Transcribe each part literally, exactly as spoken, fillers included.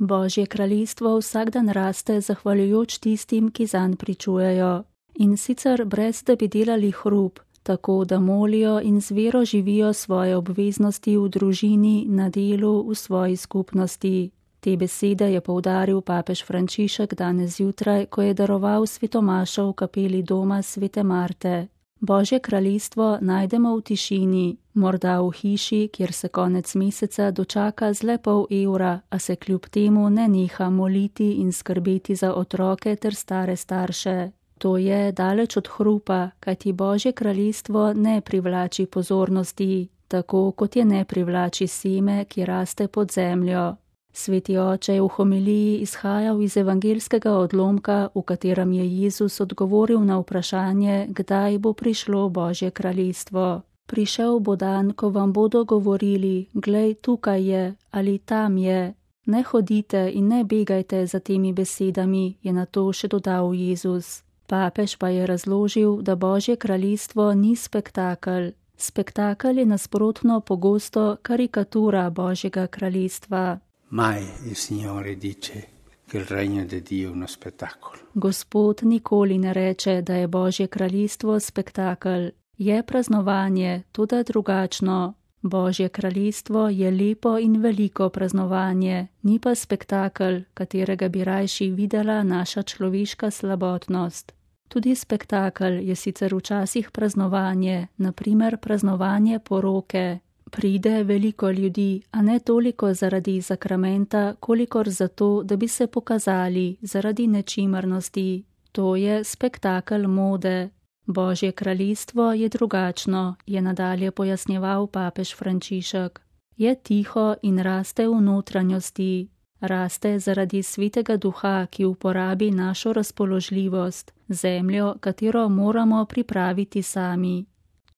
Božje kraljestvo vsak dan raste zahvaljujoč tistim, ki zanj pričujejo. In sicer brez, da bi delali hrup, tako da molijo in z vero živijo svoje obveznosti v družini, na delu, v svoji skupnosti. Te besede je poudaril papež Frančišek danes zjutraj, ko je daroval svetomašo v kapeli doma svete Marte. Božje kraljestvo najdemo v tišini, morda v hiši, kjer se konec meseca dočaka z le pol evra, a se kljub temu ne neha moliti in skrbeti za otroke ter stare starše. To je daleč od hrupa, kajti Božje kraljestvo ne privlači pozornosti, tako kot je ne privlači seme, ki raste pod zemljo. Sveti oče je v homiliji izhajal iz evangeljskega odlomka, v katerem je Jezus odgovoril na vprašanje, kdaj bo prišlo Božje kraljestvo. Prišel bo dan, ko vam bodo govorili, glej, tukaj je ali tam je. Ne hodite in ne begajte za temi besedami, je na to še dodal Jezus. Papež pa je razložil, da Božje kraljestvo ni spektakel. Spektakel je nasprotno pogosto karikatura Božjega kraljestva. Mai il Signore dice che il regno di Dio è uno spettacolo. Gospod nikoli ne reče, da je Božje kraljestvo spektakel. Je praznovanje, tudi drugačno. Božje kraljestvo je lepo in veliko praznovanje, ni pa spektakel, katerega bi rajši videla naša človeška slabotnost. Tudi spektakel je sicer včasih praznovanje, na primer praznovanje poroke. Pride veliko ljudi, a ne toliko zaradi sakramenta, kolikor zato, da bi se pokazali zaradi nečimrnosti. To je spektakel mode. Božje kraljestvo je drugačno, je nadalje pojasnjeval papež Frančišek. Je tiho in raste v notranjosti. Raste zaradi svetega duha, ki uporabi našo razpoložljivost, zemljo, katero moramo pripraviti sami.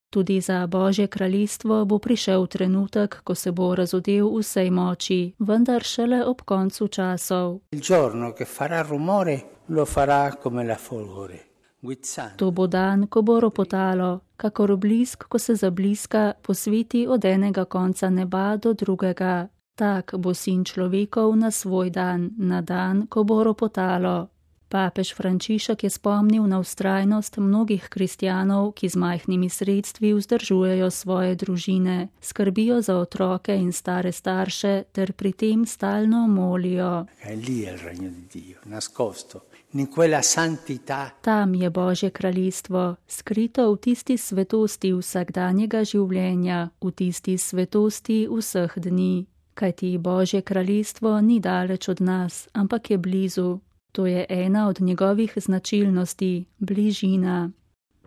Tudi za Božje kraljestvo bo prišel trenutek, ko se bo razodel vsej moči, vendar šele ob koncu časov. Il giorno che farà rumore lo farà come la folgore. To bo dan, ko bo ropotalo, kakor blisk, ko se zabliska, posveti od enega konca neba do drugega. Tak bo sin človekov na svoj dan, na dan, ko bo ropotalo. Papež Frančišek je spomnil na vztrajnost mnogih kristjanov, ki z majhnimi sredstvi vzdržujejo svoje družine, skrbijo za otroke in stare starše ter pri tem stalno molijo. Tam je Božje kraljestvo, skrito v tisti svetosti vsakdanjega življenja, v tisti svetosti vseh dni. Kajti Božje kraljestvo ni daleč od nas, ampak je blizu. To je ena od njegovih značilnosti, bližina.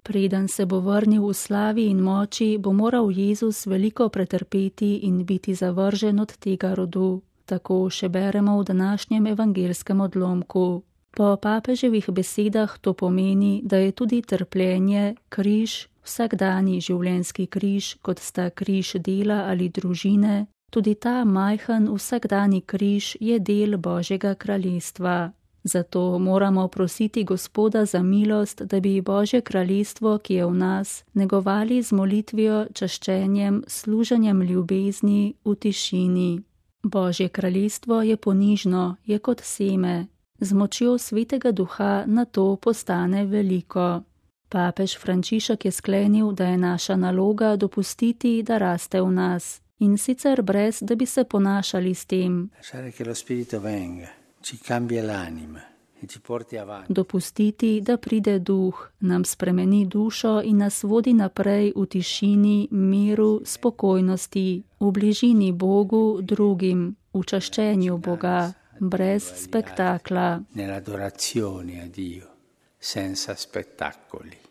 Preden se bo vrnil v slavi in moči, bo moral Jezus veliko pretrpeti in biti zavržen od tega rodu. Tako še beremo v današnjem evangeljskem odlomku. Po papeževih besedah to pomeni, da je tudi trpljenje, križ, vsakdani življenjski križ, kot sta križ dela ali družine, tudi ta majhen vsakdani križ je del Božjega kraljestva. Zato moramo prositi Gospoda za milost, da bi Božje kraljestvo, ki je v nas, negovali z molitvijo, čaščenjem, služenjem ljubezni v tišini. Božje kraljestvo je ponižno, je kot seme. Z močjo svetega duha na to postane veliko. Papež Frančišek je sklenil, da je naša naloga dopustiti, da raste v nas. In sicer brez, da bi se ponašali s tem. Dopustiti, da pride duh, nam spremeni dušo in nas vodi naprej v tišini, miru, spokojnosti, v bližini Bogu, drugim, v čaščenju Boga, brez spektakla.